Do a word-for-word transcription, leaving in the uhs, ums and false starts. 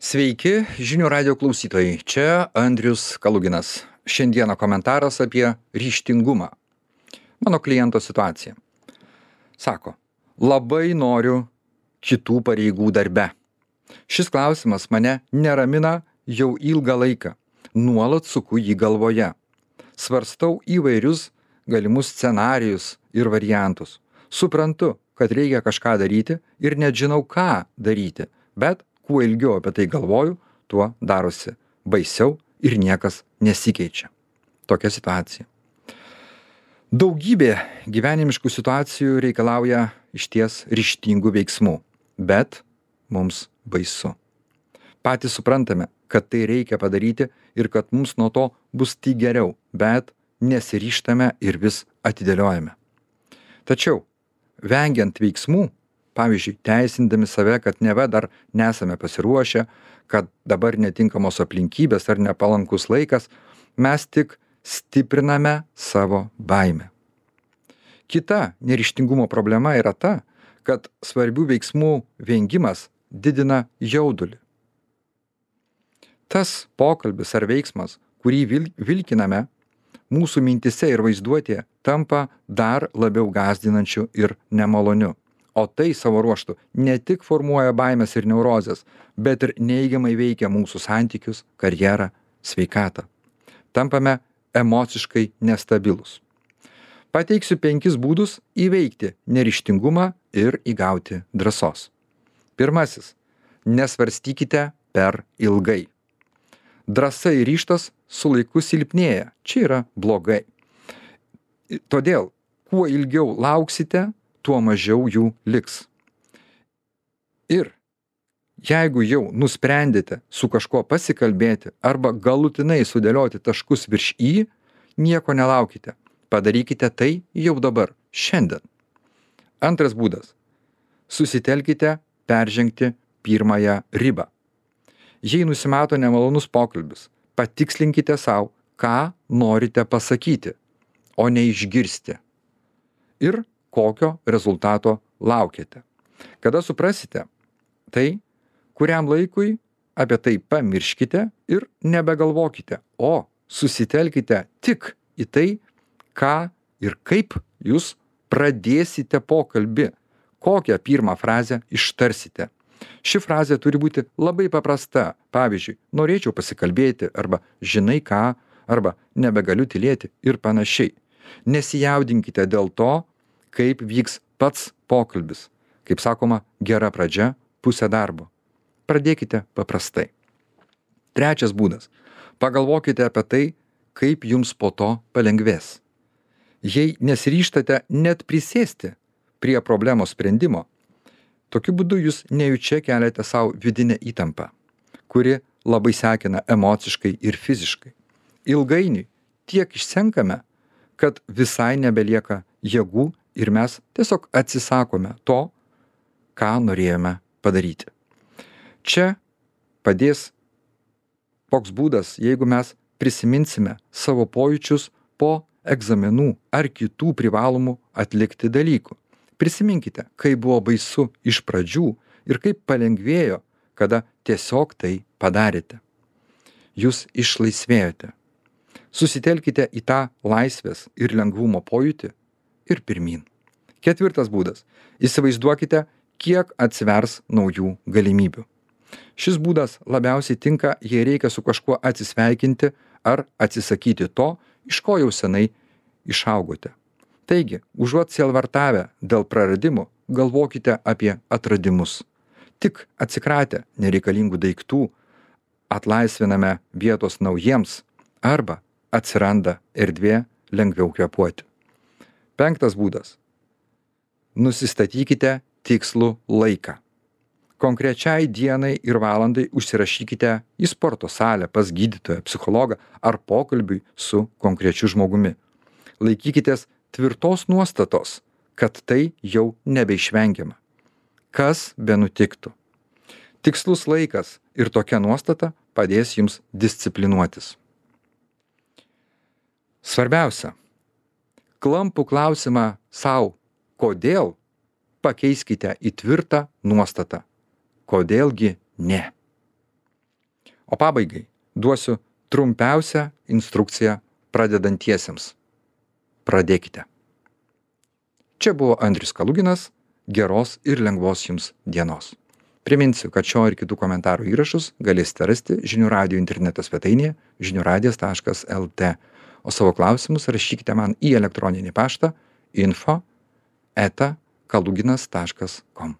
Sveiki, žinių radio klausytojai. Čia Andrius Kaluginas. Šiandieną komentaras apie ryžtingumą. Mano kliento situacija. Sako, labai noriu kitų pareigų darbe. Šis klausimas mane neramina jau ilgą laiką. Nuolat suku jį galvoje. Svarstau įvairius galimus scenarijus ir variantus. Suprantu, kad reikia kažką daryti ir net žinau, ką daryti, bet kuo ilgiau apie tai galvoju, tuo darosi baisiau ir niekas nesikeičia. Tokia situacija. Daugybė gyvenimiškų situacijų reikalauja išties ryžtingų veiksmų, bet mums baisu. Patys suprantame, kad tai reikia padaryti ir kad mums nuo to bus tik geriau, bet nesiryžtame ir vis atidėliojame. Tačiau, vengiant veiksmų, pavyzdžiui, teisindami save, kad neva dar nesame pasiruošę, kad dabar netinkamos aplinkybės ar nepalankus laikas, mes tik stipriname savo baimę. Kita neryžtingumo problema yra ta, kad svarbių veiksmų vengimas didina jaudulį. Tas pokalbis ar veiksmas, kurį vil- vilkiname, mūsų mintise ir vaizduotėje tampa dar labiau gąsdinančiu ir nemaloniu. O tai savo ruožtu ne tik formuoja baimės ir neurozes, bet ir neigiamai veikia mūsų santykius, karjerą, sveikatą. Tampame emociškai nestabilus. Pateiksiu penkis būdus įveikti neryžtingumą ir įgauti drąsos. Pirmasis. Nesvarstykite per ilgai. Drąsa ir ryžtas su laiku silpnėja. Čia yra blogai. Todėl, kuo ilgiau lauksite, tuo mažiau jų liks. Ir jeigu jau nusprendėte su kažkuo pasikalbėti arba galutinai sudėlioti taškus virš į, nieko nelaukite. Padarykite tai jau dabar, šiandien. Antras būdas. Susitelkite peržengti pirmąją ribą. Jei nusimato nemalonus pokalbis, patikslinkite savo, ką norite pasakyti, o ne išgirsti. Ir kokio rezultato laukiate. Kada suprasite, tai kuriam laikui apie tai pamirškite ir nebegalvokite, o susitelkite tik į tai, ką ir kaip jūs pradėsite pokalbį, kokią pirmą frazę ištarsite. Ši frazė turi būti labai paprasta. Pavyzdžiui, norėčiau pasikalbėti arba žinai ką, arba nebegaliu tylėti ir panašiai. Nesijaudinkite dėl to, kaip vyks pats pokalbis. Kaip sakoma, gera pradžia, pusė darbo. Pradėkite paprastai. Trečias būdas. Pagalvokite apie tai, kaip jums po to palengvės. Jei nesiryžtate net prisėsti prie problemos sprendimo, tokiu būdu jūs nejučia keliate savo vidinę įtampą, kuri labai sekina emociškai ir fiziškai. Ilgainiui tiek išsenkame, kad visai nebelieka jėgų ir mes tiesiog atsisakome to, ką norėjome padaryti. Čia padės toks būdas, jeigu mes prisiminsime savo pojūčius po egzaminų ar kitų privalomų atlikti dalykų. Prisiminkite, kaip buvo baisu iš pradžių ir kaip palengvėjo, kada tiesiog tai padarėte. Jūs išlaisvėjote. Susitelkite į tą laisvės ir lengvumo pojūtį ir pirmyn. Ketvirtas būdas. Įsivaizduokite, kiek atsivers naujų galimybių. Šis būdas labiausiai tinka, jei reikia su kažkuo atsisveikinti ar atsisakyti to, iš ko jau senai išaugote. Taigi, užuot sielvartavę dėl praradimų, galvokite apie atradimus. Tik atsikratę nereikalingų daiktų, atlaisviname vietos naujiems arba atsiranda erdvė lengviau kvėpuoti. Penktas būdas. Nusistatykite tikslų laiką. Konkrečiai dienai ir valandai užsirašykite į sporto salę pas gydytoją, psichologą ar pokalbiui su konkrečiu žmogumi. Laikykitės tvirtos nuostatos, kad tai jau nebeišvengiama. Kas benutiktų. Tikslus laikas ir tokia nuostata padės jums disciplinuotis. Svarbiausia. Klampų klausimą sau, kodėl, pakeiskite į tvirtą nuostatą. Kodėlgi ne? O pabaigai duosiu trumpiausią instrukciją pradedantiesiems. Pradėkite. Čia buvo Andrius Kaluginas. Geros ir lengvos jums dienos. Priminsiu, kad šio ir kitų komentarų įrašus galėsite rasti žinių radijo interneto svetainėje žinių radijas taškas el tė. O savo klausimus rašykite man į elektroninį paštą info eta kaluginas taškas kom.